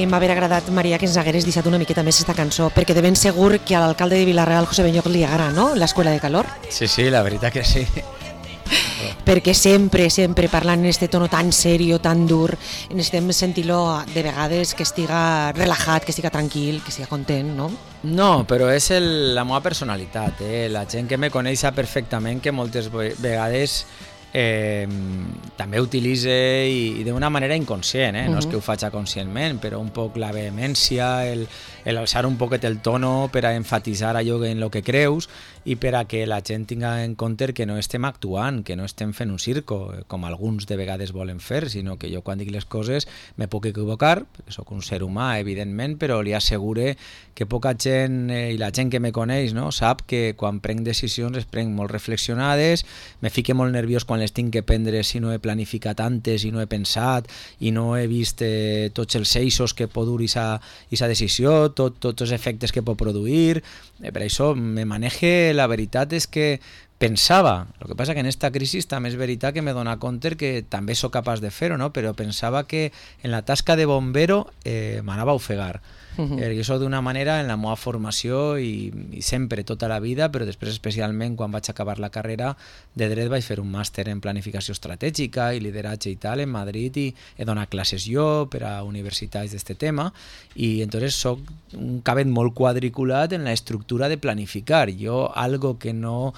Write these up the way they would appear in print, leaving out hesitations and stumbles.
m'haver agradat, Maria, que ens hagueres deixat una miqueta més esta cançó, perquè de ben segur que a l'alcalde de Vila-real, José Benlloc, li agrada, no?, l'Escuela de Calor. Sí, la veritat que sí. Perquè sempre parlant en este tono tan serio, tan dur, necessitem sentir-lo de vegades que estiga relaxat, que estiga tranquil, que estiga content, no? No, però és la meva personalitat, la gent que me coneix sap perfectament que moltes vegades també utilitze i d'una manera inconscient, no és que ho faig conscientment, però un poc la vehemència, el alçar un poquet el tono per a enfatitzar allò en el que creus i per a que la gent tinga en compte que no estem actuant, que no estem fent un circo, com alguns de vegades volen fer, sinó que jo quan dic les coses me puc equivocar, perquè sóc un ser humà, evidentment, però li assegure que poca gent, i la gent que me coneix, no, sap que quan prenc decisions les prenc molt reflexionades, me fique molt nerviós quan les tinc que prendre si no he planificat antes i no he pensat i no he vist tots els eixos que pot dur aquesta decisió, tots els efectes que pot produir. Per això me manege, la veritat és que pensava, el que passa que en esta crisi també és veritat que me dona compte que també sóc capaç de fer-ho, no? Però pensava que en la tasca de bombero m'anava a ofegar. Jo soc d'una manera en la meva formació i sempre, tota la vida, però després especialment quan vaig acabar la carrera de dret vaig fer un màster en planificació estratègica i lideratge i tal en Madrid i he donat classes jo per a universitats d'este tema i entonces soc un cabet molt quadriculat en la estructura de planificar. Jo algo que no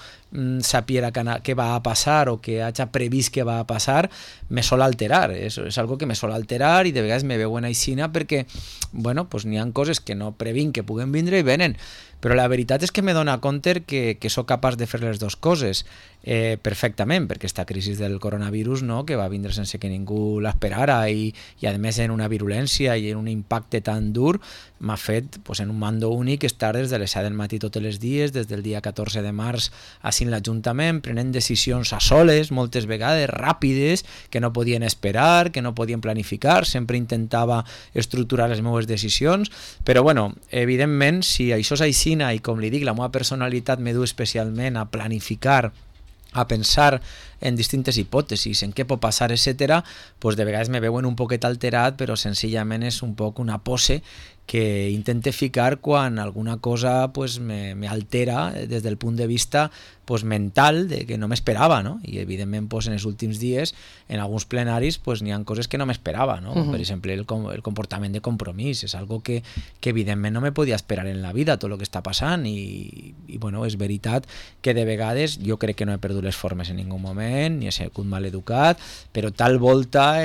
sapiera què va a passar o que hagi previst que va a passar me sol alterar, és algo que me sol alterar i de vegades me veuen aixina perquè bueno, pues n'hi ha coses que no previnc que puguen vindre i venen, però la veritat és que me dona compte que sóc capaç de fer les dues coses perfectament, perquè esta crisi del coronavirus, no, que va vindre sense que ningú l'esperara i a més en una virulència i en un impacte tan dur m'ha fet pues, en un mando únic estar des de les 7 del matí tots els dies, des del dia 14 de març així en l'Ajuntament, prenent decisions a soles, moltes vegades ràpides, que no podien esperar, que no podien planificar, sempre intentava estructurar les meves decisions, però bueno, evidentment, si això és aixina i com li dic, la meva personalitat me du especialment a planificar, a pensar en distintes hipòtesis, en què pot passar, etc., doncs de vegades me veuen un poquet alterat, però senzillament és un poc una pose que intente ficar quan alguna cosa pues, me altera des del punt de vista pues, mental de que no m'esperava, no? I evidentment pues, en els últims dies en alguns plenaris pues, n'hi ha coses que no m'esperava, no? Per exemple el comportament de Compromís és algo que evidentment no me podia esperar en la vida, tot el que està passant i bueno, és veritat que de vegades jo crec que no he perdut les formes en ningú moment, ni he sigut mal educat, però tal volta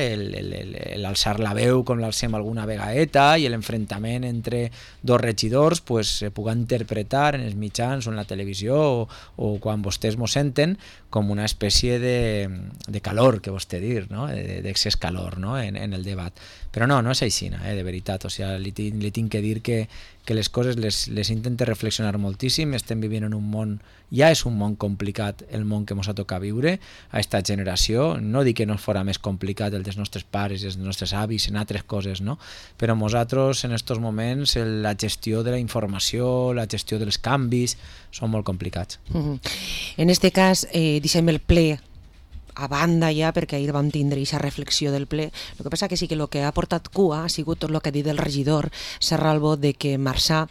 l'alçar la veu com l'alcem alguna vegaeta i l'enfrontament entre dos regidors pues, se puga interpretar en els mitjans o en la televisió o quan vostès m'ho senten com una espècie de calor que vostè dir, no? D'excés calor, no? en el debat. Però no és així, de veritat. O sigui, li tinc que dir que les coses les intente reflexionar moltíssim. Estem vivint en un món, ja és un món complicat el món que ens ha tocat viure a esta generació. No dic que no fora més complicat el dels nostres pares i els nostres avis en altres coses, no? Però nosaltres en aquests moments la gestió de la informació, la gestió dels canvis són molt complicats. En este cas, deixem el ple a banda ja, perquè ahir vam tindre aquesta reflexió del ple. El que passa que sí que el que ha portat cua ha sigut tot el que ha dit el regidor Serralbo de que Marçà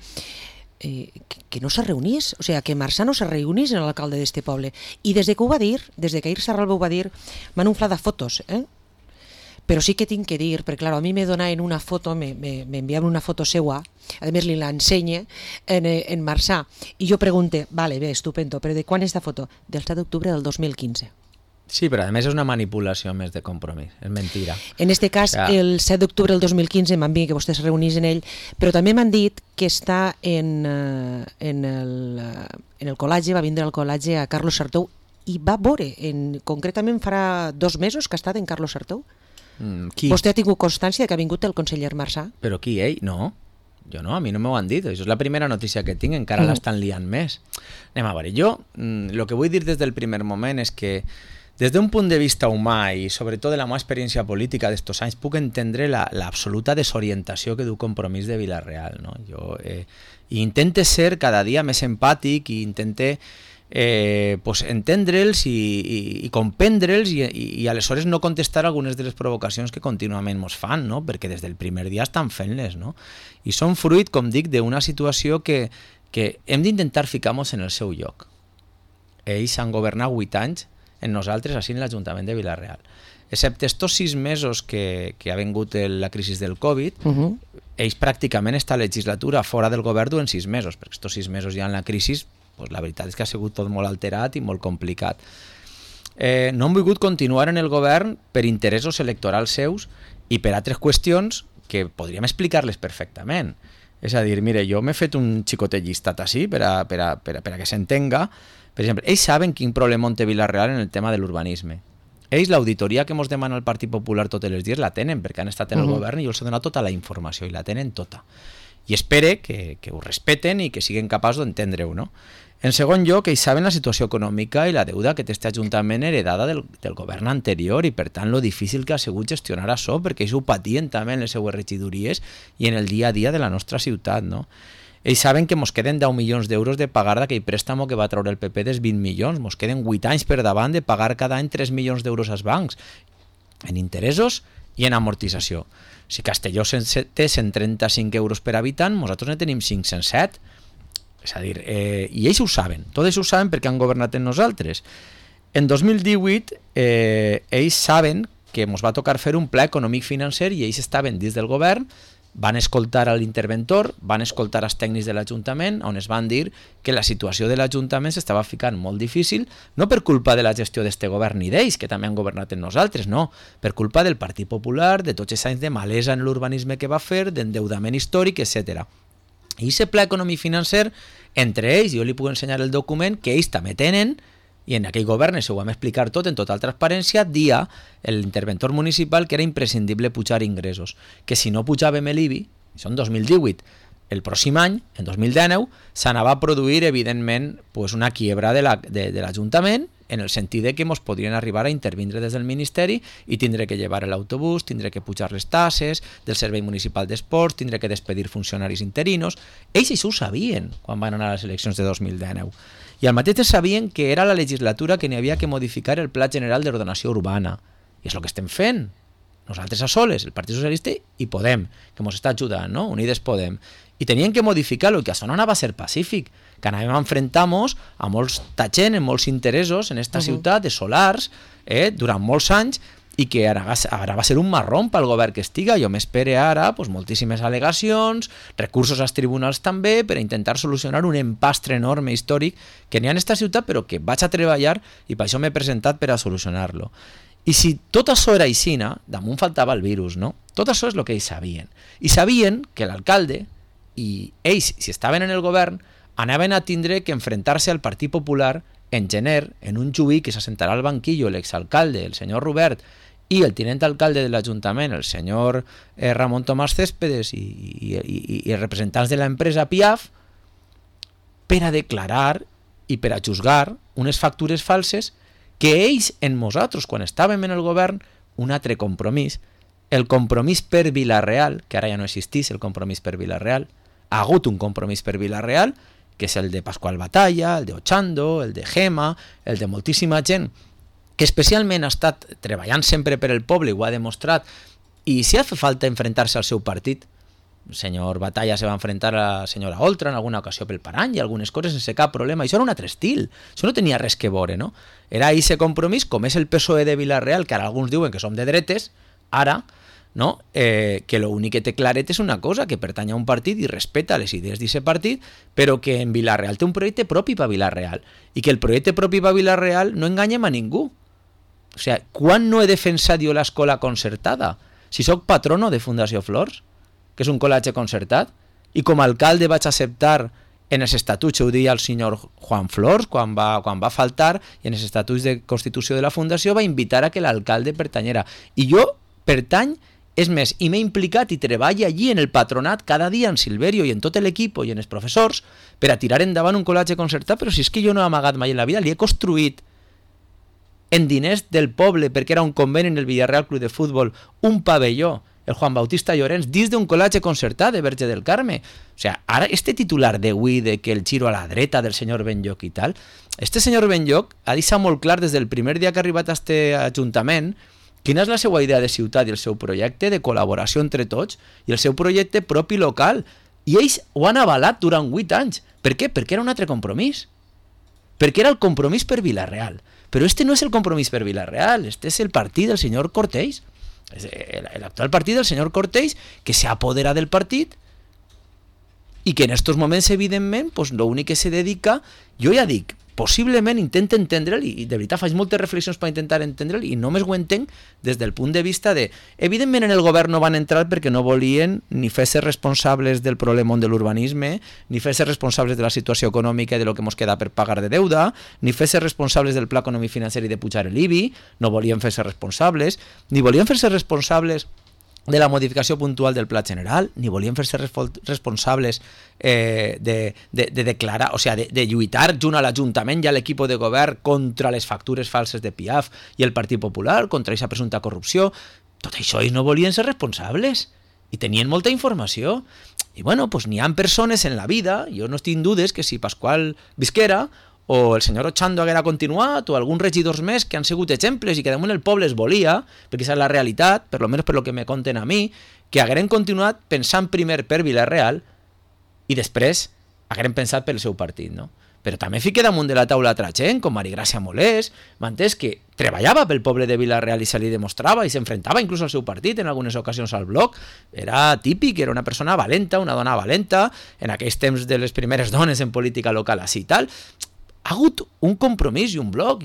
que no se reunís, o sigui, que Marçà no se reunís en l'alcalde d'este poble. I des de que ho va dir, des de que ahir Serralbo ho va dir, m'han unflat de fotos, però sí que tinc que dir, perquè clar, a mi me donaven una foto, m'enviaven una foto seua, a més li l'ensenye en Marçà, i jo pregunte, vale, bé, estupendo, però de quan és esta foto? Del 7 d'octubre del 2015. Sí, però a més és una manipulació més de Compromís, és mentira. En este cas, el 7 d'octubre del 2015 m'han dit que vostè es reunís en ell, però també m'han dit que està en el col·legi, va vindre al col·legi a Carlos Sartou i va veure, concretament farà 2 mesos que ha estat en Carlos Sartou. Qui? Vostè ha tingut constància que ha vingut el conseller Marçà? Però qui, ell? No. Jo no, a mi no m'ho han dit, això és la primera notícia que tinc, encara l'estan liant més. Anem a veure, jo el que vull dir des del primer moment és que des d'un punt de vista humà i sobretot de la meva experiència política d'estos anys puc entendre l'absoluta desorientació que du Compromís de Vila-real, no? Jo intente ser cada dia més empàtic i intente pues entendre'ls i comprendre'ls i aleshores no contestar algunes de les provocacions que contínuament ens fan, no? Perquè des del primer dia estan fent-les, no? I són fruit, com dic, d'una situació que hem d'intentar ficar-nos en el seu lloc. Ells han governat 8 anys en nosaltres, així en l'Ajuntament de Vila-real. Excepte estos 6 mesos que ha vingut la crisi del Covid, ells pràcticament esta legislatura fora del govern duen 6 mesos, perquè estos 6 mesos ja en la crisi, pues la veritat és que ha sigut tot molt alterat i molt complicat. No han volgut continuar en el govern per interessos electorals seus i per altres qüestions que podríem explicar-les perfectament. És a dir, mire, jo m'he fet un xicotet llistat així per a que s'entenga. Per exemple, ells saben quin problema té Vila-real en el tema de l'urbanisme. Ells, l'auditoria que ens demana el Partit Popular tots els dies, la tenen, perquè han estat en el govern i els ha donat tota la informació, i la tenen tota. I espere que ho respeten i que siguin capaços d'entendre-ho, no? En segon lloc, ells saben la situació econòmica i la deuda que té aquest Ajuntament heredada del govern anterior i, per tant, lo difícil que ha sigut gestionar això, perquè ells ho patien també en les seues regidories i en el dia a dia de la nostra ciutat, no? Ells saben que ens queden 10 milions d'euros de pagar d'aquell préstamo que va treure el PP dels 20 milions. Ens queden 8 anys per davant de pagar cada any 3 milions d'euros als bancs, en interessos i en amortització. Si Castelló té 135 euros per habitant, nosaltres ne tenim 507. És a dir, i ells ho saben, tot ells ho saben perquè han governat en nosaltres. En 2018, ells saben que ens va tocar fer un pla econòmic-financer i ells estaven dins del govern, van escoltar a l'interventor, van escoltar els tècnics de l'Ajuntament, on es van dir que la situació de l'Ajuntament s'estava ficant molt difícil, no per culpa de la gestió d'este govern ni d'ells, que també han governat en nosaltres, no, per culpa del Partit Popular, de tots els anys de malesa en l'urbanisme que va fer, d'endeudament històric, etc. I aquest pla econòmic-financer, entre ells, jo li puc ensenyar el document que ells també tenen, i en aquell govern ho vam explicar tot en total transparència, dia l'interventor municipal que era imprescindible pujar ingressos, que si no pujàvem l'IBI, això en 2018, el pròxim any, en 2019, s'anava a produir, evidentment, una quiebra de l'Ajuntament, en el sentit que ens podrien arribar a intervindre des del Ministeri i tindre que llevar l'autobús, tindre que pujar les tasses del Servei Municipal d'Esports, tindre que despedir funcionaris interinos. Ells això ho sabien quan van anar a les eleccions de 2019. I al mateix temps sabien que era la legislatura que n'hi havia que modificar el Pla General d'Ordenació Urbana. I és el que estem fent. Nosaltres a soles, el Partit Socialista i Podem, que ens està ajudant, no? Unides Podem. I tenien que modificar-lo, que això no anava a ser pacífic, que anàvem a enfrentar-nos a molts tachent, en molts interessos en esta ciutat de solars, durant molts anys, i que ara va ser un marrón pel govern que estiga. Jo m'espere ara moltíssimes al·legacions, recursos als tribunals també, per a intentar solucionar un empastre enorme històric que n'hi ha en esta ciutat, però que vaig a treballar i per això m'he presentat per a solucionar-lo. I si tot això era aixina, damunt faltava el virus, no? Tot això és el que ells sabien. I sabien que l'alcalde i ells, si estaven en el govern, anaven a tindre que enfrentar-se al Partit Popular en gener, en un juí que s'assentarà al banquillo l'exalcalde, el senyor Robert, i el tinent alcalde de l'Ajuntament, el senyor Ramon Tomàs Céspedes i els representants de l'empresa Piaf, per a declarar i per a juzgar unes factures falses que ells en nosaltres, quan estàvem en el govern, un altre compromís, el compromís per Vila-real, que ara ja no existís el compromís per Vila-real, ha hagut un compromís per Vila-real, que és el de Pasqual Batalla, el de Ochando, el de Gema, el de moltíssima gent, que especialment ha estat treballant sempre per el poble, ho ha demostrat, i si ha fet falta enfrontar-se al seu partit, el senyor Batalla se va enfrentar a la senyora Oltra en alguna ocasió pel Parany i algunes coses sense cap problema. Això era un altre estil, això no tenia res que veure, no? Era aquest compromís, com és el PSOE de Vila-real, que ara alguns diuen que som de dretes, ara, no? Que l'únic que té claret és una cosa, que pertany a un partit i respeta les idees d'aquest partit, però que en Vila-real té un projecte propi per Vila-real, i que el projecte propi per Vila-real no enganyem a ningú. O sigui, quan no he defensat jo l'escola concertada? Si sóc patrono de Fundació Flors, que és un col·legi concertat, i com a alcalde vaig acceptar en els estatuts, ho deia el senyor Juan Flors, quan va faltar, i en els estatuts de constitució de la Fundació va invitar a que l'alcalde pertanyera. I jo pertany, és més, i m'he implicat i treballo allí en el patronat cada dia en Silverio i en tot l'equip i en els professors per a tirar endavant un col·legi concertat, però si és que jo no he amagat mai en la vida, li he construït en diners del poble, perquè era un conveni en el Villarreal Club de Futbol, un pavelló el Juan Bautista Llorens, dins d'un col·legi concertat de Verge del Carme. O sigui, ara este titular d'avui de que el giro a la dreta del senyor Benlloch i tal, este senyor Benlloch ha deixat molt clar des del primer dia que ha arribat a este ajuntament quina és la seva idea de ciutat i el seu projecte de col·laboració entre tots i el seu projecte propi local. I ells ho han avalat durant 8 anys. Per què? Perquè era un altre compromís. Perquè era el compromís per Vila-real. Però este no és el compromís per Vila-real, este és el partit del senyor Cortells. L'actual partit del senyor Cortells, que s'ha apoderat del partit i que en estos moments, evidentment, pues, l'únic que se dedica, jo ja dic, possiblement intenta entendre'l, i de veritat faig moltes reflexions per intentar entendre'l, i només ho entenc des del punt de vista de, evidentment en el govern no van entrar perquè no volien ni fer-se responsables del problema de l'urbanisme, ni fer-se responsables de la situació econòmica i de lo que ens queda per pagar de deuda, ni fer-se responsables del pla econòmic financer i de pujar l'IBI, no volien fer-se responsables, ni volien fer-se responsables de la modificació puntual del pla general, ni volien fer-se responsables de declarar, o sigui, de lluitar junt a l'Ajuntament i a l'equip de govern contra les factures falses de Piaf i el Partit Popular, contra aquesta presumpta corrupció. Tot això ells no volien ser responsables i tenien molta informació. I bueno, pues n'hi ha persones en la vida, jo no estic en dudes que si Pasqual visquera o el senyor Ochando haguera continuat, o alguns regidors més que han sigut exemples i que damunt el poble es volia, perquè aquesta és la realitat, per almenys per lo que me conten a mi, que hagueren continuat pensant primer per Vila-real i després hagueren pensat pel seu partit, no? Però també fica damunt de la taula altra gent, com Marigràcia Molés, m'entens, que treballava pel poble de Vila-real i se li demostrava i s'enfrontava inclús al seu partit en algunes ocasions al bloc. Era típic, era una persona valenta, una dona valenta, en aquells temps de les primeres dones en política local així i tal. Ha hagut un compromís i un bloc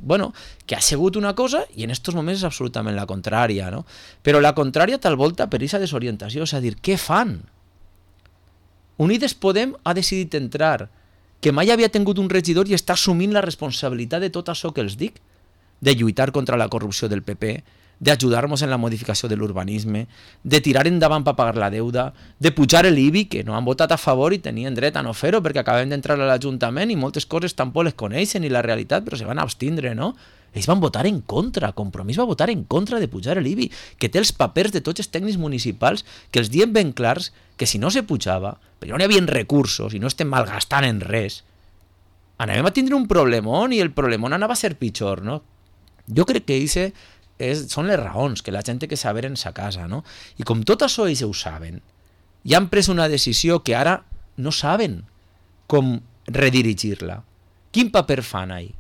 bueno, que ha sigut una cosa i en estos moments és absolutament la contrària, no? Però la contrària tal volta per aquesta desorientació, és a dir, què fan? Unides Podem ha decidit entrar, que mai havia tingut un regidor i està assumint la responsabilitat de tot això que els dic, de lluitar contra la corrupció del PP, d'ajudar-nos en la modificació de l'urbanisme, de tirar endavant per pagar la deuda, de pujar l'IBI, que no han votat a favor i tenien dret a no fer-ho perquè acabem d'entrar a l'Ajuntament i moltes coses tampoc les coneixen i la realitat, però se van abstindre, no? Ells van votar en contra, Compromís va votar en contra de pujar l'IBI, que té els papers de tots els tècnics municipals que els diem ben clars que si no se pujava, perquè no hi havia recursos i no estem malgastant en res, anàvem a tindre un problemón i el problemón anava a ser pitjor, no? Jo crec que són les raons que la gent té que saber en sa casa, no? I com tot això ells ho saben, i han pres una decisió que ara no saben com redirigir-la. Quin paper fan ahí?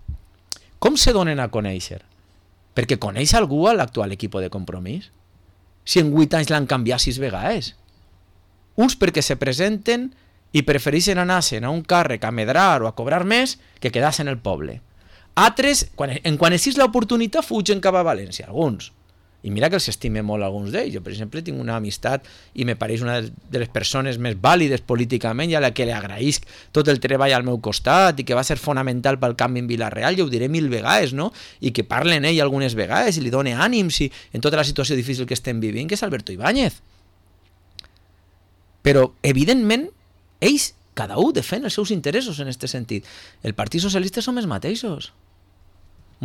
Com se donen a conèixer? Perquè coneix algú a l'actual equip de Compromís? Si en 8 anys l'han canviat 6 vegades. Uns perquè se presenten i prefereixen anar-se'n a un càrrec a medrar o a cobrar més que quedar-se en el poble. Altres, quan existeix l'oportunitat, fugen cap a València, alguns. I mira que els estime molt alguns d'ells. Jo, per exemple, tinc una amistat i me pareix una de les persones més vàlides políticament i a la que li agraïsc tot el treball al meu costat i que va ser fonamental pel canvi en Vila-real, i ho diré 1000 vegades, no? I que parlen ell algunes vegades i li dona ànims en tota la situació difícil que estem vivint, que és Alberto Ibáñez. Però, evidentment, ells, cada un defèn els seus interessos en aquest sentit. El Partit Socialista som els mateixos.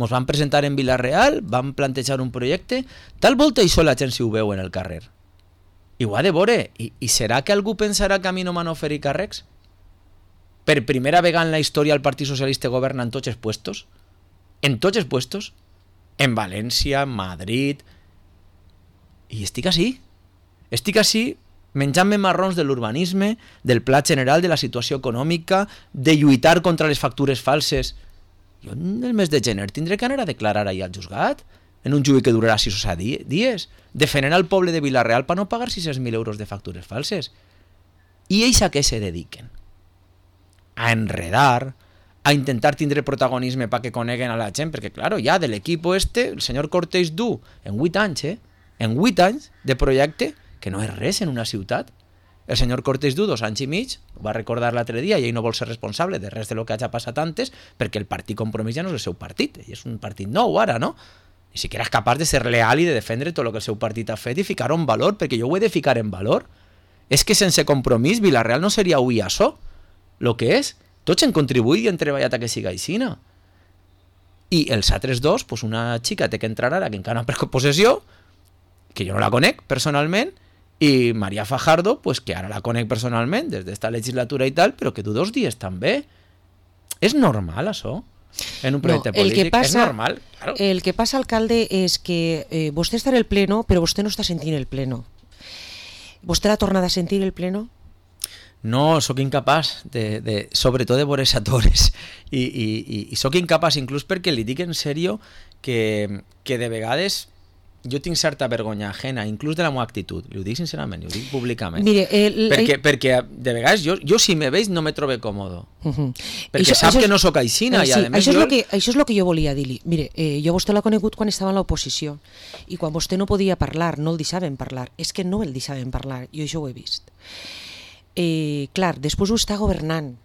Ens van presentar en Vila-real, van plantejar un projecte, tal volta això la gent si ho veu en el carrer. I ho ha de veure. I serà que algú pensarà que a mi no m'han oferit càrrecs? Per primera vegada en la història el Partit Socialista governa en tots els puestos? En tots els puestos? En València, en Madrid... I estic així. Estic així menjant-me marrons de l'urbanisme, del pla general de la situació econòmica, de lluitar contra les factures falses. Jo en el mes de gener tindré que anar a declarar ahir al juzgat, en un judici que durarà 6 o 7 dies, defendent al poble de Vila-real per no pagar 600.000 euros de factures falses. I ells a què se dediquen? A enredar, a intentar tindre protagonisme perquè coneguen a la gent, perquè, claro, ja de l'equip el senyor Cortells du en 8 anys, en 8 anys de projecte, que no és res en una ciutat. El senyor Cortells du 2 anys i mig, ho va recordar l'altre dia, i ell no vol ser responsable de res de lo que hagi passat antes, perquè el partit Compromís ja no és el seu partit, ell és un partit nou ara, no? Ni siquiera és capaç de ser leal i de defendre tot el que el seu partit ha fet i ficar-ho en valor, perquè jo ho he de ficar en valor. És que sense Compromís Vila-real no seria avui això, el que és. Tots hem contribuït i hem treballat a que siga aixina. I els altres dos, pues una xica té que entrar ara, que encara no ha pres possessió, que jo no la conec personalment, i Maria Fajardo, pues, que ara la conec personalment des d'esta legislatura i tal, però que tu 2 dies també. És normal, això? En un projecte polític? És normal? Claro. El que passa, alcalde, és que vostè està en el pleno, però vostè no està sentint el pleno. Vostè l'ha tornat a sentir el pleno? No, sóc incapaç, sobretot de veure atores. I sóc incapaç, inclús perquè li dic en sèrio que de vegades jo tinc certa vergonya ajena, inclús de la meva actitud. Li ho dic sincerament, li ho dic públicament. Mire, perquè de vegades jo si me veig no me trobo còmodo. Perquè sap que no sóc aixina. Sí, això és el que jo volia dir-li. Mire, jo vostè l'ha conegut quan estava en l'oposició i quan vostè no podia parlar, no el deixaven parlar. És que no el deixaven parlar, jo això ho he vist. Clar, després ho està governant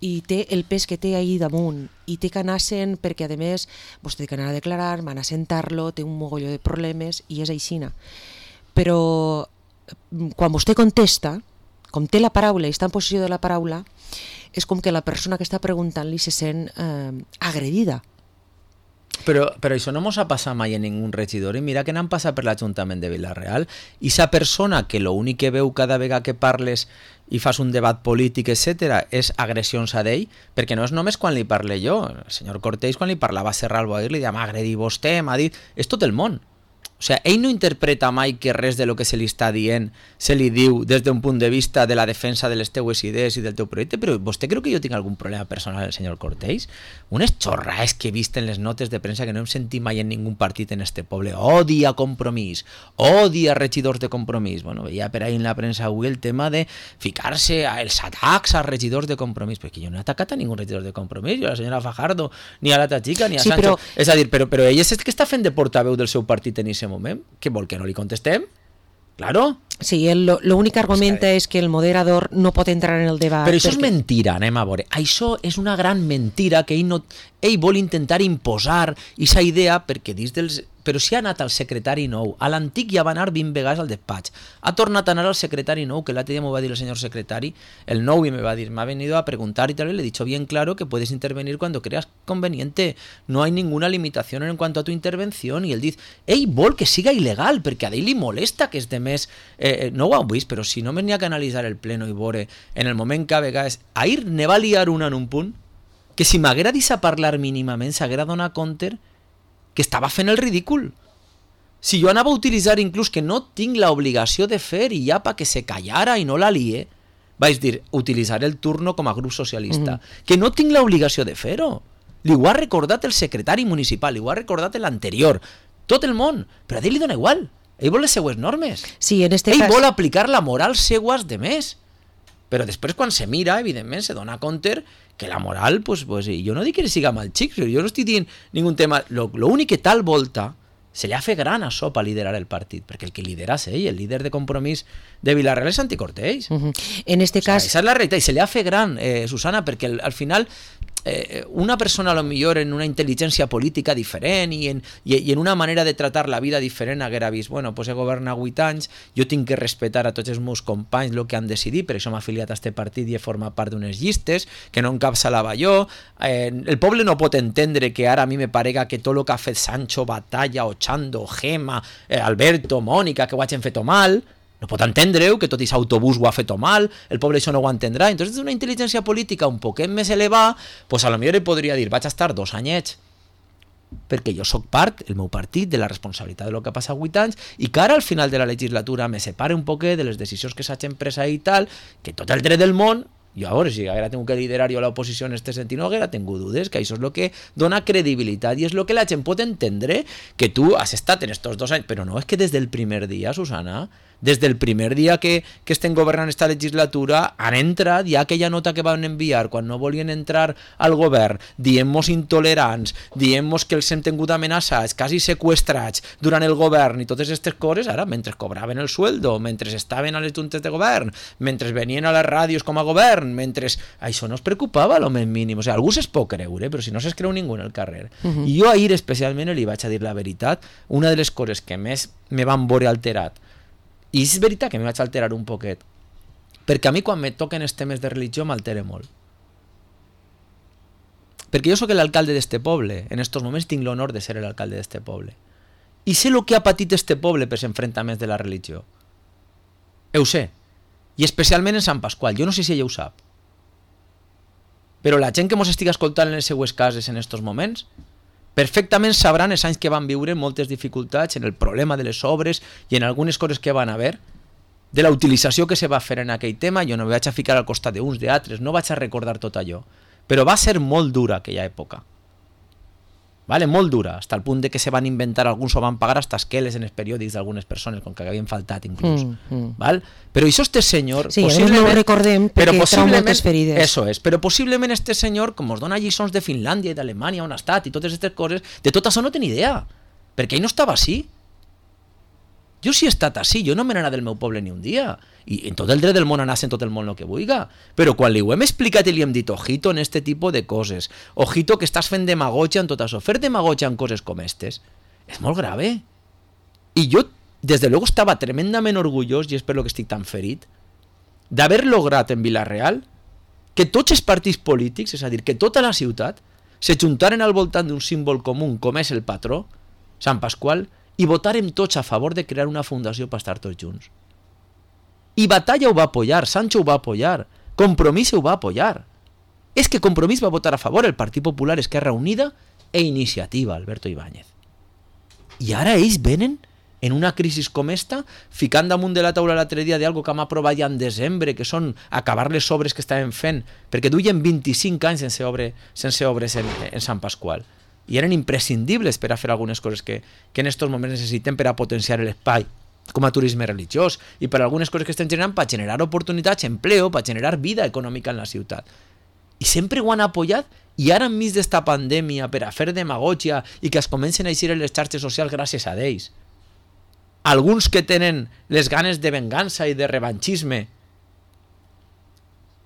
i té el pes que té ahir damunt i té que anar-se'n perquè a més vostè té que anar a declarar, van a sentar-lo, té un mogolló de problemes i és aixina. Però quan vostè contesta, com té la paraula i està en possessió de la paraula, és com que la persona que està preguntant-li se sent agredida. Però això no mos ha passat mai en ningú regidor, i mira que n'han passat per l'Ajuntament de Vila-real, i sa persona que l'únic que veu cada vegada que parles i fas un debat polític, etc., és agressions a d'ell, perquè no és només quan li parle jo. El senyor Cortés, quan li parlava a Serra Alboair, li deia, m'ha agredit vostè, m'ha dit... És tot el món. O sigui, ell no interpreta mai que res de lo que se li està dient se li diu des d'un punt de vista de la defensa de les teues idees i del teu projecte, però vostè creu que jo tinc algun problema personal, el senyor Cortés? Unes xorrades que he vist en les notes de premsa que no hem sentit mai en ningú partit en este poble. Odia Compromís, odia regidors de Compromís. Bueno, veia per ahí en la premsa avui el tema de ficar-se els atacs a regidors de Compromís, perquè jo no he atacat a ningú regidor de Compromís, jo a la senyora Fajardo, ni a l'altra xica, ni a Sancho. És a dir, però ell és el que està fent de portaveu del seu partit en aquest moment. Què vol, que no li contestem? Claro. Sí, l'únic que argumenta és que el moderador no pot entrar en el debat. Però això és mentira, anem a veure. Això és una gran mentira que ell vol intentar imposar aquesta idea perquè dins dels... Però si ha anat al secretari nou, a l'antic ja va anar 20 vegades al despatx, ha tornat a anar al secretari nou, que l'altre dia m'ho va dir el senyor secretari, el nou, y me va dir, m'ha venido a preguntar y tal, y le he dicho bien claro que puedes intervenir cuando creas conveniente, no hay ninguna limitación en cuanto a tu intervención, i ell diu, ell vol que siga il·legal, perquè a ell li molesta que és de més, no ho heu vist, però si només n'hi ha que analitzar el pleno i veure, en el moment que a vegades, ahir ne va liar una en un punt, que si m'haguera dit a parlar mínimament, s'haguera donat compte que estava fent el ridícul. Si jo anava a utilitzar inclús que no tinc l'obligació de fer i ja perquè se callara i no la lie, vaig dir, utilitzar el turno com a grup socialista, que no tinc l'obligació de fer-ho. Li ho ha recordat el secretari municipal, li ho ha recordat l'anterior, tot el món, però a ell li dona igual. Ell vol les seues normes. Sí, en este ell cas... vol aplicar la moral seues de més. Però després quan se mira, evidentment, se dona compte que la moral, pues jo no dic que siga mal xic, jo no estic dient ningú tema, l'únic que tal volta se li ha fet gran això per liderar el partit, perquè el que lidera és ell, el líder de Compromís de Vila-real és Santi Cortés. En este cas... Esa és la realitat, i se li ha fet gran, Susana, perquè al final una persona a lo millor en una intel·ligència política diferent i en una manera de tratar la vida diferent haguera vist, bueno, pues he governat 8 anys, jo tinc que respetar a tots els meus companys el que han decidit, per això m'he afiliat a este partit i he format part d'unes llistes, que no encapçalava jo, el poble no pot entendre que ara a mi me parega que tot el que ha fet Sancho, Batalla, Ochando, Gema, Alberto, Mònica, que ho hagin fet mal, no pot entendre-ho, que tot aquest autobús ho ha fet mal, el poble això no ho entendrà. Entonces, una intel·ligència política un poquet més elevada, pues a lo millor ell podria dir, vaig a estar 2 anyets, perquè jo sóc part, el meu partit, de la responsabilitat de lo que ha passat 8 anys, i que ara al final de la legislatura me separe un poquet de les decisions que s'hagin pres i tal, que tot el dret del món, jo a veure, si haguera tingut que liderar jo a l'oposició en este sentit, no haguera tingut dudes, que això és el que dona credibilitat i és el que la gent pot entendre, que tu has estat en estos 2 anys, però no és que des del primer dia, Susana, des del primer dia que estem governant esta legislatura han entrat, hi ha aquella nota que van enviar quan no volien entrar al govern, dient-nos intolerants, dient-nos que els hem tingut amenaçats, quasi seqüestrats durant el govern i totes aquestes coses, ara, mentre cobraven el sueldo, mentre estaven a les juntes de govern, mentre venien a les ràdios com a govern, mentre... Això no es preocupava a lo més mínim. O sigui, algú se'ls pot creure, però si no se'ls creu ningú en el carrer. I jo ahir especialment li vaig a dir la veritat, una de les coses que més me van veure alterat, i és veritat que me vaig alterar un poquet, perquè a mi quan me toquen els temes de religió m'altere molt. Perquè jo sóc l'alcalde d'este poble, en estos moments tinc l'honor de ser l'alcalde d'este poble. I sé el que ha patit este poble per enfrontaments de la religió. Ho sé. I especialment en Sant Pasqual. Jo no sé si ella ho sap. Però la gent que mos estiga escoltant en les seues cases en estos moments perfectament sabran els anys que van viure moltes dificultats en el problema de les obres i en algunes coses que van haver, de la utilització que se va fer en aquell tema. Jo no me vaig a ficar al costat d'uns, d'altres, no vaig a recordar tot allò. Però va ser molt dura aquella època. Vale, molt dura, hasta el punt de que se van inventar, alguns ho van pagar hasta esqueles en els periòdics d'algunes persones, com que havien faltat inclús. Val? Però això este senyor... Sí, no ho recordem perquè trau moltes ferides. Eso és, però possiblement este senyor, com us dona lliçons de Finlàndia i d'Alemanya on ha estat i totes aquestes coses, de tot això no té ni idea, perquè ell no estava així. Jo sí he estat així, jo no me n'anà del meu poble ni un dia, i en tot el dret del món anar en tot el món el que vulga, però quan li ho hem explicat i li hem dit ojito en este tipus de coses, ojito que estàs fent demagogia en tot això, fer demagogia en coses com estes és molt grave. I jo, des de luego, estava tremendament orgullós, i és per lo que estic tan ferit, d'haver lograt en Vila-real que tots els partits polítics, és a dir, que tota la ciutat se juntaren al voltant d'un símbol comú com és el patró, Sant Pasqual, i votarem tots a favor de crear una fundació per estar tots junts. I Batalla ho va apoyar, Sancho ho va apoyar, Compromís ho va apoyar. És que Compromís va votar a favor, el Partit Popular, Esquerra Unida e Iniciativa, Alberto Ibáñez. I ara ells venen en una crisi com esta, ficant damunt de la taula l'altre dia d'algo que hem aprovat ja en desembre, que són acabar les obres que estaven fent, perquè duien 25 anys sense obres en Sant Pasqual. I eren imprescindibles per a fer algunes coses que en aquests moments necessitem per a potenciar l'espai com a turisme religiós i per a algunes coses que estem generant per generar oportunitats, empleo, per generar vida econòmica en la ciutat. I sempre ho han apoyat, i ara enmig d'esta pandèmia per a fer demagogia i que es comencen a eixir en les xarxes socials gràcies a ells. Alguns que tenen les ganes de vengança i de revanchisme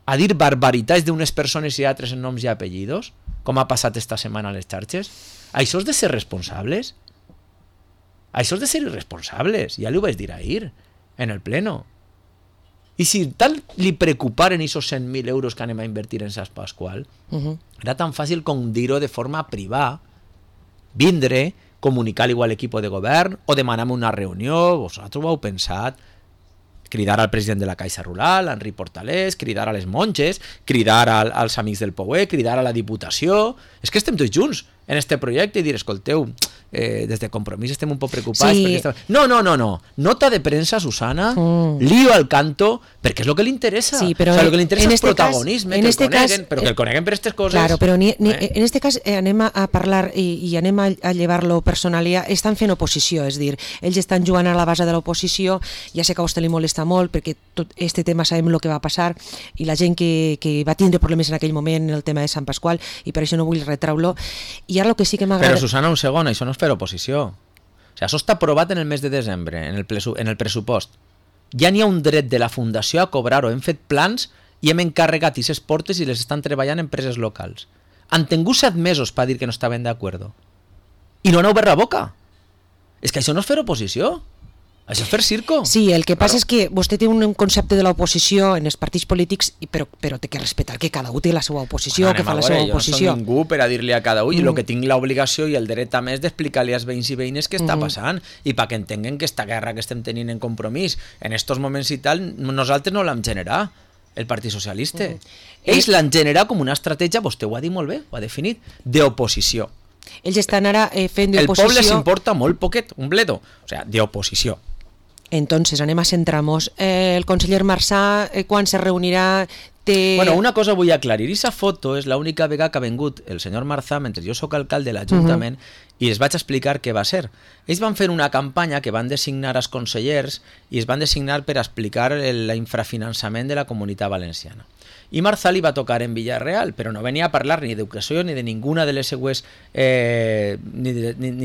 a dir barbaritats d'unes persones i altres en noms i apellidos, com ha passat esta setmana a les xarxes. Això és de ser responsables? Això és de ser irresponsables, ja li ho vaig dir ahir, en el pleno. I si tal li preocuparen aquests 100.000 euros que anem a invertir en Sant Pasqual, era tan fàcil com dir-ho de forma privada, vindre, comunicar igual l'equip de govern, o demanar-me una reunió, vosaltres ho heu pensat, cridar al president de la Caixa Rural, Henri Portalés, cridar a les monges, cridar als amics del Pouet, cridar a la Diputació. És que estem tots junts en este projecte i dir, escolteu, des de Compromís estem un poc preocupats. Sí. No. Nota de premsa, Susana, lío al canto, perquè és el que li interessa. Sí, però el que li interessa és protagonisme, que el coneguen, però que el coneguen per aquestes coses. Claro, però en este cas anem a parlar i anem a llevar-lo personalia. Estan fent oposició, és dir, ells estan jugant a la base de l'oposició. Ja sé que a vostè li molesta molt perquè tot este tema sabem el que va passar i la gent que va tindre problemes en aquell moment en el tema de Sant Pasqual, i per això no vull retraure-lo. I ara el que sí que m'agrada... Però, Susana, un segon, això no és fer oposició. O sigui, això està aprovat en el mes de desembre, en el pressupost. Ja n'hi ha un dret de la Fundació a cobrar-ho. Hem fet plans i hem encarregat aquestes portes i les estan treballant empreses locals. Han tingut 7 mesos per dir que no estaven d'acord. I no han obert la boca. És que això no és fer oposició. Això és fer circo. Sí, el que passa és que vostè té un concepte de l'oposició en els partits polítics, però té que respectar que cada un té la seva oposició, que fa la seva oposició. Jo no soc ningú per a dir-li a cada un, i el que tinc l'obligació i el dret també és d'explicar-li als veïns i veïnes què està passant, i perquè entenguen que esta guerra que estem tenint en Compromís, en estos moments i tal, nosaltres no l'hem generat, el Partit Socialista. Ells l'han generat com una estratègia, vostè ho ha dit molt bé, ho ha definit, d'oposició. Ells estan ara fent d'oposició... El poble s'importa molt poquet, un bledo, o sigui, d'oposició. Entonces, anem a centrar-nos. El conseller Marsà, quan se reunirà... Bueno, una cosa vull aclarir. Aquesta foto és l'única vegada que ha vengut el senyor Marsà mentre jo sóc alcalde de l'Ajuntament i els vaig explicar què va ser. Ells van fer una campanya que van designar als consellers i es van designar per explicar l'infrafinançament de la Comunitat Valenciana. I Marsà li va tocar en Villarreal, però no venia a parlar ni d'educació ni de ninguna de les seues ni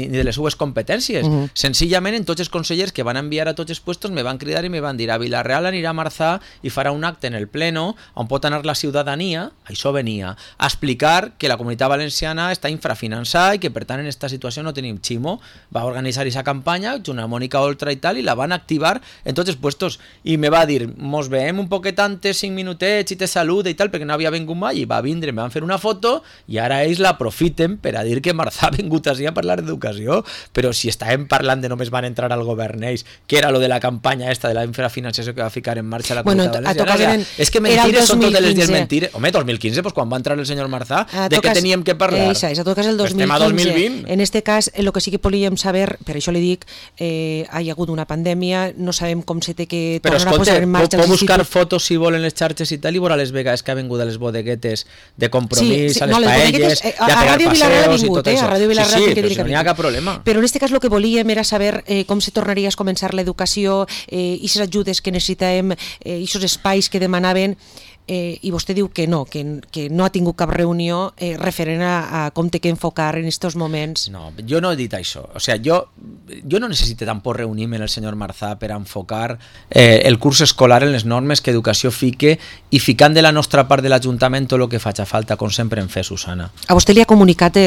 de les seues competències. Senzillament, en tots els consellers que van enviar a tots els puestos me van cridar i me van dir a Villarreal anirà Marsà i farà un acte en el pleno on pot anar la ciutadania, això venia, a explicar que la Comunitat Valenciana està infrafinançada i que per tant en aquesta situació situació no tenim. Ximo va organitzar aquesta campanya junt a Mònica Oltra i tal, i la van activar en tots els puestos, i me va dir, mos veiem un poquet antes, 5 minutets i te saluda i tal, perquè no havia vingut mai, i va vindre, me van fer una foto, i ara ells l'aprofiten per a dir que Marzà ha vingut així a parlar d'educació. Però si estàvem parlant de només van entrar al govern ells, que era lo de la campanya esta de la infrafinanciació que va ficar en marxa la Comunitat Valenciana. És que mentires són totes les dies mentires. Home, 2015, pues, quan va entrar el senyor Marzà, de què teníem que parlar? És a tot cas el 2015. Estem a 2020. En este cas, el que sí que volíem saber, per això li dic, ha hi hagut una pandèmia, no sabem com se té que tornar a posar en marxa els instituts. Però, buscar fotos, si volen, les xarxes i tal, i veure les vegades que ha vingut a les bodeguetes de Compromís, a les paelles, i a pegar passeos i tot això. Sí, no hi ha cap problema. Però en este cas el que volíem era saber com se tornaria a començar l'educació, i les ajudes que necessitàvem, i els espais que demanaven, i vostè diu que no ha tingut cap reunió referent a com té que enfocar en aquests moments. No, jo no he dit això. O sea, jo no necessito tampoc reunir-me amb el senyor Marzà per enfocar el curs escolar en les normes que Educació fique, i ficant de la nostra part de l'Ajuntament tot el que faci falta, com sempre en fe, Susana. A vostè li ha comunicat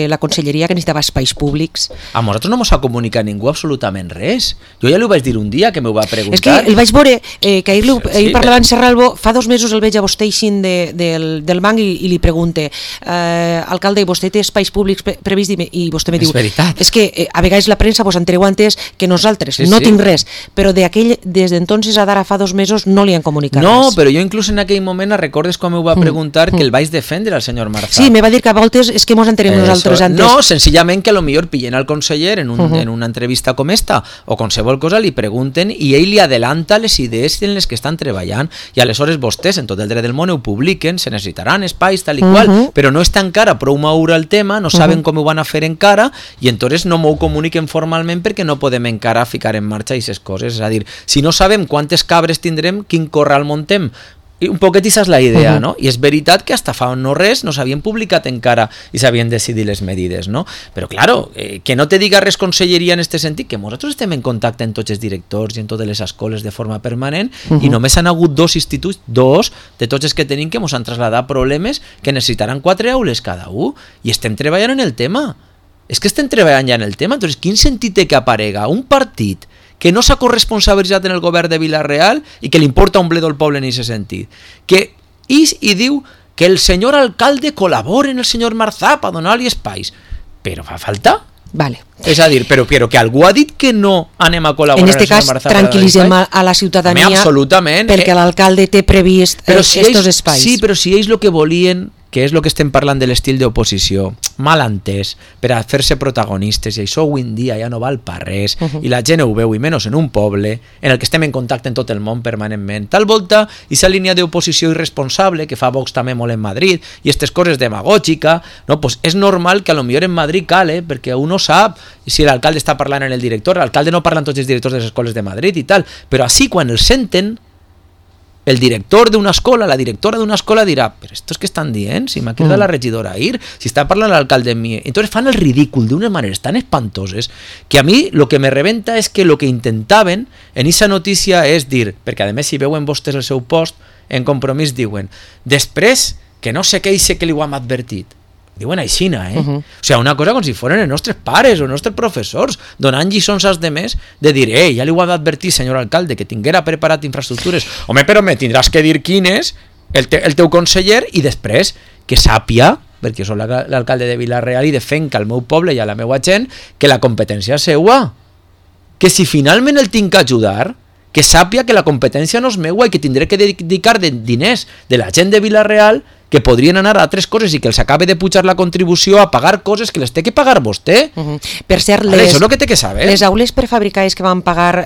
la Conselleria que necessitava espais públics? A nosaltres no ens ha comunicat ningú absolutament res. Jo ja li ho vaig dir un dia que m'ho va preguntar. És que el vaig veure, que ahir parlava en Serralbo, fa 2 mesos el veig a vostè eixint del banc i li pregunte, alcalde, vostè té espais públics previst? I vostè me diu, és que a vegades la premsa vos entereu antes que nosaltres, no tinc res, però des d'entonces a d'ara fa 2 mesos no li han comunicat res. No, però jo inclús en aquell moment recordes com m'ho va preguntar que el vaig defendre al senyor Marzà. Sí, me va dir que a voltes és que mos enterem nosaltres antes. No, senzillament que a lo millor pillen al conseller en una entrevista com esta o qualsevol cosa, li pregunten i ell li adelanta les idees en les que estan treballant, i aleshores vostès en tot el dret del món ho publiquen, se necessitaran espais tal i qual, però no està encara prou madur el tema, no saben com ho van a fer encara, i entonces no m'ho comuniquen formalment perquè no podem encara ficar en marxa aquestes coses. És a dir, si no sabem quantes cabres tindrem, quin corral montem, i un poquet aquesta és la idea, no? I és veritat que hasta fa no res no s'havien publicat encara i s'havien decidit les medides, no? Però, claro, que no te diga res Conselleria en aquest sentit, que nosaltres estem en contacte amb tots els directors i en totes les escoles de forma permanent, i només han hagut 2 instituts, 2 de tots els que tenim, que ens han traslladat problemes que necessitaran 4 aules cada un, i estem treballant en el tema. És que estem treballant ja en el tema. Entonces, quin sentit té que aparega un partit que no s'ha corresponsabilitzat en el govern de Vila-real i que li importa un bledo al poble en aquest sentit, que i diu que el senyor alcalde col·labora en el senyor Marzà per donar-li espais, però fa falta? Vale. És a dir, però que algú ha dit que no anem a col·laborar en este cas, tranquil·litzem a la ciutadania, absolutament, perquè l'alcalde té previst estos espais. Sí, però si ells el que volien, que és el que estem parlant de l'estil d'oposició, mal entès, per a fer-se protagonistes, i això avui en dia ja no val per res, i la gent ho veu, i menys en un poble en el que estem en contacte en tot el món permanentment. Tal volta, aquesta línia d'oposició irresponsable, que fa Vox també molt en Madrid, i aquestes coses demagògica, no? Pues és normal que a lo millor en Madrid cale, perquè uno sap si l'alcalde està parlant en el director, l'alcalde no parla amb tots els directors de les escoles de Madrid i tal, però així quan el senten, el director d'una escola, la directora d'una escola dirà, però estos que estan dient, si m'ha cridat la regidora ahir, si està parlant l'alcalde amb mi, entonces fan el ridícul d'unes maneres tan espantoses que a mi lo que me rebenta és que lo que intentaven en esa notícia és dir, perquè a més si veuen vostès el seu post, en Compromís diuen, després que no sé què i sé que li ho hem advertit. Diuen aixina, O sigui, una cosa com si foren els nostres pares o els nostres professors, donant lliçons als demés de dir, ja li ho ha d'advertir, senyor alcalde, que tinguera preparat infraestructures. Home, però me tindràs que dir quin és el teu conseller, i després que sàpia, perquè jo soc l'alcalde de Vila-real i defenc al meu poble i a la meva gent, que la competència és seua. Que si finalment el tinc que ajudar, que sàpia que la competència no és meua i que tindré que dedicar diners de la gent de Vila-real que podrien anar a altres coses i que els acabe de pujar la contribució a pagar coses que les té que pagar vostè. Per cert, això és el que té que saber. Les aules prefabricades que van pagar,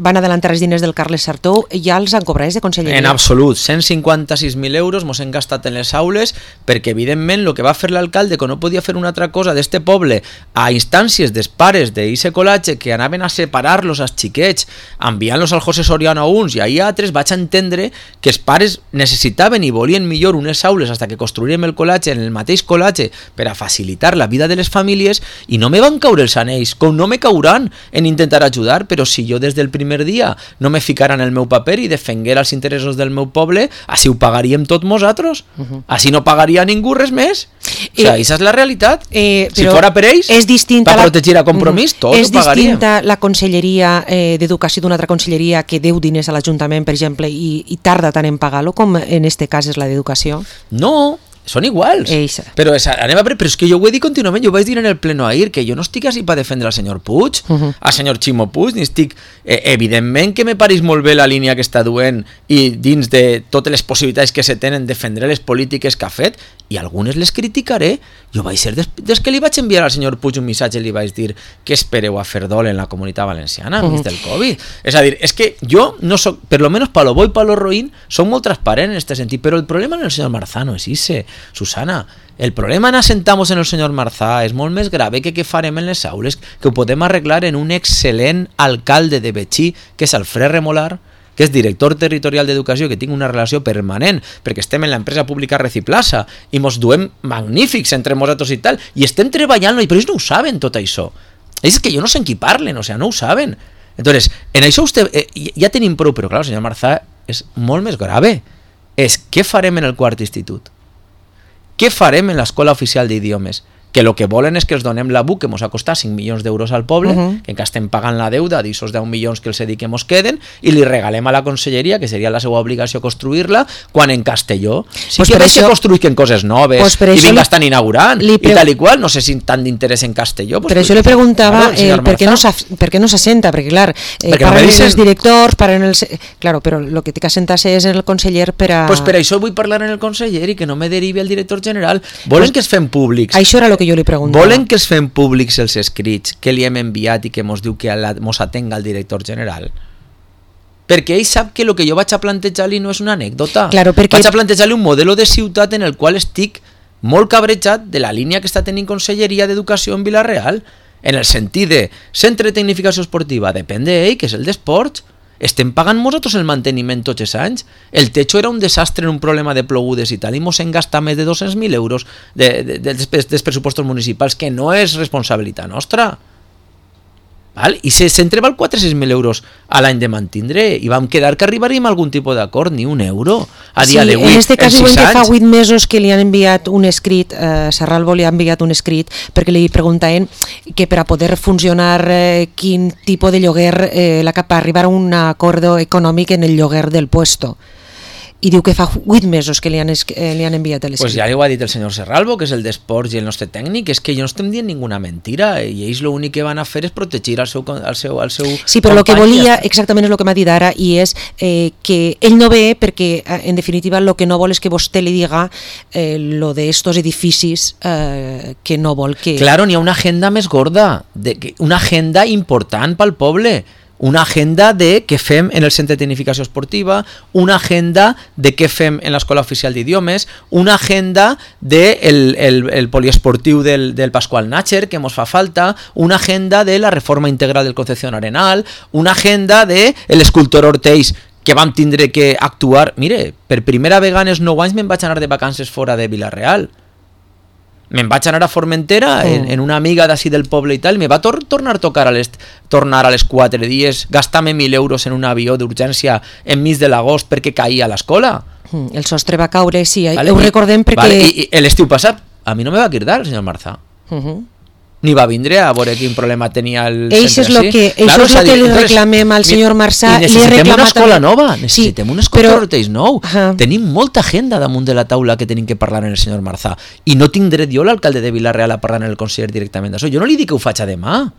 van adelantar els diners del Carles Sartou, ja els han cobrat de Conselleria? En absolut, 156.000 euros mos hem gastat en les aules, perquè evidentment el que va fer l'alcalde, que no podia fer una altra cosa d'este poble, a instàncies dels pares d'eixe col·latge que anaven a separar-los als xiquets, enviant-los al José Soriano a uns i a altres, vaig entendre que els pares necessitaven i volien millor unes aules taules fins que construirem el col·legi en el mateix col·legi per a facilitar la vida de les famílies i no me van caure els anells, com no me cauran en intentar ajudar, però si jo des del primer dia no me ficara en el meu paper i defenguera els interessos del meu poble, així ho pagaríem tots nosaltres, així no pagaria ningú res més. O sigui, aquesta és la realitat. Si fora per ells, per protegir a Compromís, tots ho pagaríem. És distinta la conselleria d'Educació d'una altra conselleria que deu diners a l'Ajuntament, per exemple, i tarda tant en pagar-lo, com en este cas és la d'Educació? No, són iguals. Però és que jo ho he dit contínuament, jo ho vaig dir en el pleno ahir, que jo no estic així per defendre al senyor Puig, al senyor Ximo Puig, ni estic... evidentment que me pareix molt bé la línia que està duent i dins de totes les possibilitats que se tenen defendre les polítiques que ha fet, i algunes les criticaré. Jo vaig ser des que li vaig enviar al senyor Puig un missatge i li vaig dir que espereu a fer dol en la Comunitat Valenciana enmig del Covid. És a dir, és que jo no soc, per lo menos pa lo bo i pa lo roïn, soc molt transparent en este sentit, però el problema en el senyor Marzà no és ese, Susana. El problema en assentamos en el senyor Marzà és molt més grave que què farem en les aules, que ho podem arreglar en un excel·lent alcalde de Betxí, que és Alfred Remolar, que és director territorial d'Educació, que tinc una relació permanent, perquè estem en l'empresa pública Reciplaza, i mos duem magnífics entre nosaltres i tal, i estem treballant-lo, però ells no ho saben tot això. És que jo no sé en qui parlen, o sigui, no ho saben. Entonces, en això ja tenim prou, però clar, el senyor Marzà és molt més grave. És què farem en el quart institut? Què farem en l'Escola Oficial d'Idiomes? Que el que volen és que els donem la BUC, que ens ha costat 5 milions d'euros al poble, que encara estem pagant la deuda d'aixòs 10 milions que els he dit que ens queden, i li regalem a la conselleria, que seria la seva obligació construir-la, quan en Castelló sí que veig que construïsquen coses noves i vinga estan inaugurant, i tal i qual, no sé si tant d'interès en Castelló. Per això li preguntava per què no s'assenta, perquè clar, parlen els directors, parlen els... Claro, però el que té que assentar-se és el conseller per a... Pues per això vull parlar en el conseller i que no me derivi el director general. Volen que es fem públics. Això era el que jo li preguntava. Volen que es fem públics els escrits que li hem enviat i que mos diu que mos atenga el director general? Perquè ell sap que el que jo vaig a plantejar-li no és una anècdota. Claro, perquè... Vaig a plantejar-li un modelo de ciutat en el qual estic molt cabrejat de la línia que està tenint Conselleria d'Educació en Vila-real, en el sentit de centre de tecnificació esportiva, depèn d'ell, que és el d'esports. Estem pagant nosaltres el manteniment tots els anys. El techo era un desastre en un problema de plogudes i tal, i mos hem gastat més de 200.000 euros dels pressupostos municipals, que no és responsabilitat nostra. Val? I se centre val 400.000 euros a l'any de mantindre, i vam quedar que arribaríem a algun tipus d'acord, ni un euro a dia d'avui. En aquest cas diuen que fa 8 mesos que li han enviat un escrit, Serralvo li ha enviat un escrit perquè li preguntaven que per a poder funcionar quin tipus de lloguer la cap a arribar a un acord econòmic en el lloguer del puesto. I diu que fa 8 mesos que li han enviat l'escrit. Pues ja li ho ha dit el senyor Serralvo, que és el d'esports i el nostre tècnic, és que jo no estem dient ninguna mentira, i ells l'únic que van a fer és protegir el seu sí, però el que volia exactament és el que m'ha dit ara, i és que ell no ve perquè en definitiva el que no vol és que vostè li diga lo de estos edificis que no vol que... Claro, n'hi ha una agenda més gorda, una agenda important pel poble. Una agenda de què fem en el centre de tecnificació esportiva, una agenda de què fem en l'Escola Oficial d'Idiomes, una agenda del poliesportiu del Pasqual Nácher, que ens fa falta, una agenda de la reforma integral del Concepción Arenal, una agenda de l'escultor Ortells, que vam tindre que actuar. Mire, per primera vegada en els 9 anys me'n vaig anar de vacances fora de Vila-real. Me'n vaig anar a Formentera en una amiga d'ací del poble i tal, i me va tornar a tocar tornar a les 4 dies, gastar-me 1.000 euros en un avió d'urgència enmig de l'agost perquè caïa a l'escola. El sostre va caure, sí, ho recordem perquè... I l'estiu passat a mi no me va cridar el senyor Marzà. Ni va vindre a veure quin problema tenia el centre així. Això és el que li reclamem al senyor Marzà. I necessitem una escola nova, necessitem un escola Ortells nou. Tenim molta agenda damunt de la taula que tenim que parlar amb el senyor Marzà, i no tinc dret jo, l'alcalde de Vila-real, a parlar amb el conseller directament d'això. Jo no li dic que ho faig a demà,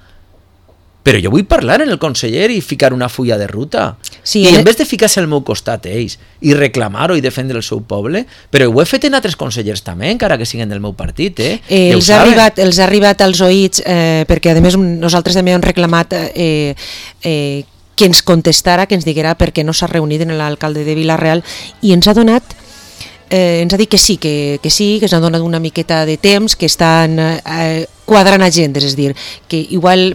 però jo vull parlar amb el conseller i ficar una fulla de ruta. Sí, i en vez de ficar-se al meu costat ells i reclamar-ho i defendre el seu poble, però ho he fet en altres consellers també, encara que siguin del meu partit. Els ha arribat als oïts, perquè a més nosaltres també hem reclamat que ens contestara, que ens diguera per què no s'ha reunit en l'alcalde de Vila-real, i ens ha donat... ens ha dit que sí, que ens ha donat una miqueta de temps, que estan quadrant agendes, és dir, que igual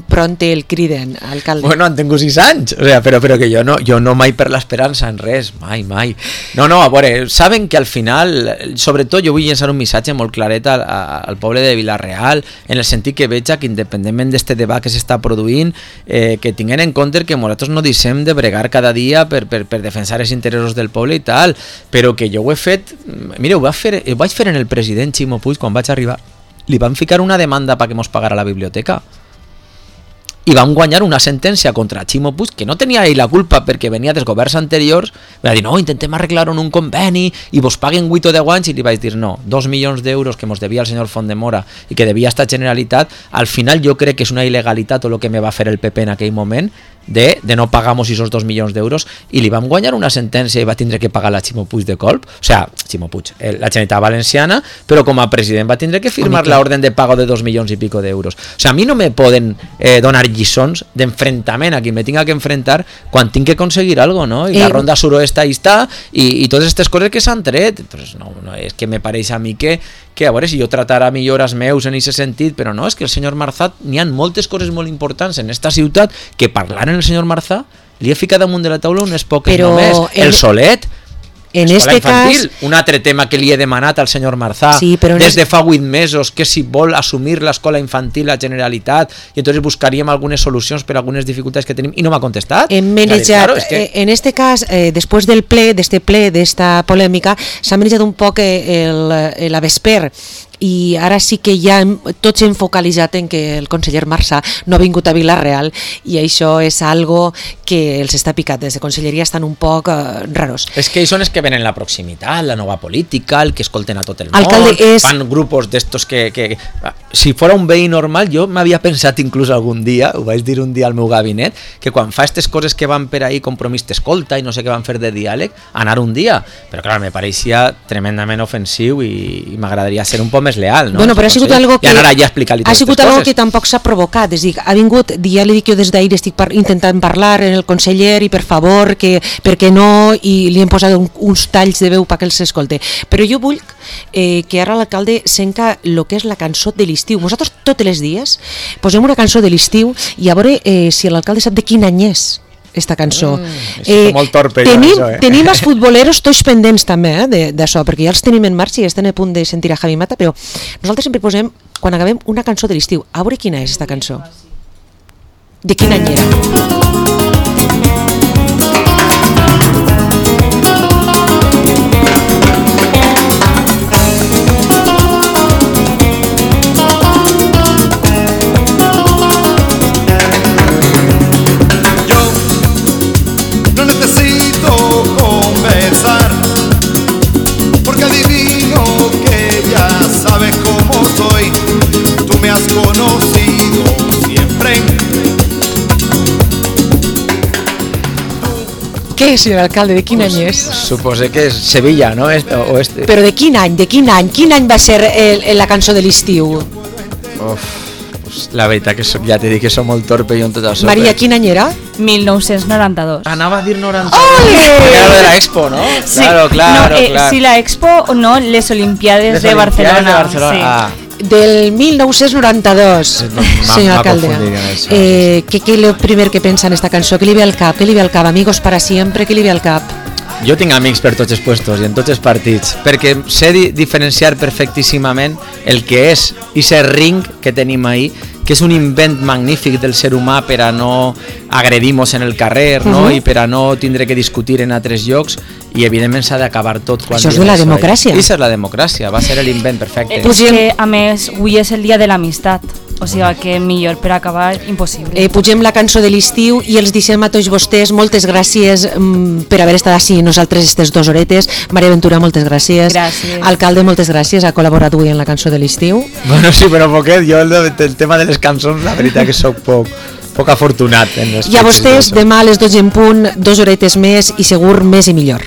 pronte el criden, alcalde? Bueno, han tingut 6 anys, o sea, però que jo no mai per l'esperança en res, mai. No, a veure, saben que al final, sobretot jo vull llançar un missatge molt claret al poble de Vila-real, en el sentit que veig que independentment d'este debat que s'està produint, que tinguin en compte que nosaltres no deixem de bregar cada dia per defensar els interessos del poble i tal, però que jo ho he fet, mira, ho vaig fer en el president Ximo Puig quan vaig arribar, li van ficar una demanda perquè mos pagara la biblioteca i vam guanyar una sentència contra Ximo Puig, que no tenia ell la culpa perquè venia dels governs anteriors, va dir, no, intentem arreglar-ho en un conveni i vos paguen 8 o 10 anys, i li vaig dir, no, 2 milions d'euros que mos devia el senyor Fontdemora i que devia esta Generalitat, al final jo crec que és una il·legalitat tot el que me va fer el PP en aquell moment, de no pagamos esos 2 milions d'euros, i li vam guanyar una sentència i va tindre que pagar la Ximo Puig de colp, o sea, Ximo Puig, la Generalitat Valenciana, però com a president va tindre que firmar la orden de pago de 2 milions i pico d'euros. O sea, a mi no me poden donar lliçons d'enfrontament a qui me tinga que enfrentar quan tinc que aconseguir algo, no? I la ronda suroeste ahí està, i totes aquestes coses que s'han tret. Entonces, no, és que me pareix a mi que a veure, si jo tratara millores meus en aquest sentit, però no, és que el senyor Marzà, n'hi ha moltes coses molt importants en esta ciutat que parlar en el senyor Marzà li he ficat damunt de la taula unes poques només. El Solet, en este infantil, un altre tema que li he demanat al senyor Marzà des de fa 8 mesos, que si vol assumir l'escola infantil la Generalitat, i entonces buscaríem algunes solucions per algunes dificultats que tenim, i no m'ha contestat. En este cas, després del ple, d'esta polèmica, s'ha manejat un poc la vesper, i ara sí que ja tots hem focalitzat en que el conseller Marzà no ha vingut a Vila-real, i això és algo que els està picat. Des de Conselleria estan un poc raros. És que ells són els que venen la proximitat, la nova política, el que escolten a tot el Alcalde, món, fan grupos d'estos que... Si fos un veí normal, jo m'havia pensat inclús algun dia, ho vaig dir un dia al meu gabinet, que quan fa aquestes coses que van per ahí, compromís d'escolta i no sé què van fer de diàleg, anar un dia. Però clar, me pareixia tremendament ofensiu i m'agradaria ser un poc més leal, no? Bueno, però ha sigut algo que ha sigut algo que tampoc s'ha provocat, és a dir, ha vingut, ja li dic jo des d'ahir, estic intentant parlar en el conseller i per favor, perquè no, i li hem posat uns talls de veu perquè els escolte, però jo vull que ara l'alcalde senca el que és la cançó de l'estiu. Nosaltres tots els dies posem una cançó de l'estiu i a veure si l'alcalde sap de quin any és esta cançó. Molt torpe, tenim els futboleros tots pendents també d'això, perquè ja els tenim en marxa i estan a punt de sentir a Javi Mata, però nosaltres sempre posem, quan acabem, una cançó de l'estiu. A veure quina és esta cançó, de quin any era. Què és, senyor alcalde? De quin any és? Suposo que és Sevilla, no? Però de quin any? Quin any va ser la cançó de l'estiu? La veritat que ja t'he dit que soc molt torpe i en tot això. Maria, quin any era? 1992. Anava a dir 92. Era lo de la Expo, ¿no? Sí. Claro. Sí, la Expo, no, les Olimpiades de Barcelona. Sí. Del 1992, senyor alcalde. ¿Qué es lo primero que pensa en esta cançó? ¿Qué li ve al cap? Amigos para siempre, ¿qué li ve al cap? Jo tinc amics per tots els puestos i en tots els partits, perquè sé diferenciar perfectíssimament el que és aquest ring que tenim ahí, que és un invent magnífic del ser humà per a no agredir-nos en el carrer, no? I per a no tindre que discutir en altres llocs, i evidentment s'ha d'acabar tot. Això és de la democràcia. Això és la democràcia, va ser l'invent perfecte. És que, a més, avui és el dia de l'amistat, o sigui que millor per acabar impossible. Pugem la cançó de l'estiu i els deixem a tots vostès. Moltes gràcies per haver estat així nosaltres aquestes 2 horetes. Maria Ventura, moltes gràcies. Gràcies. Alcalde, moltes gràcies. Ha col·laborat avui en la cançó de l'estiu. Bueno, sí, però poquet. Jo el tema de les cançons, la veritat que soc poc afortunat. I a vostès, demà a les 12 en punt, 2 horetes més i segur més i millor.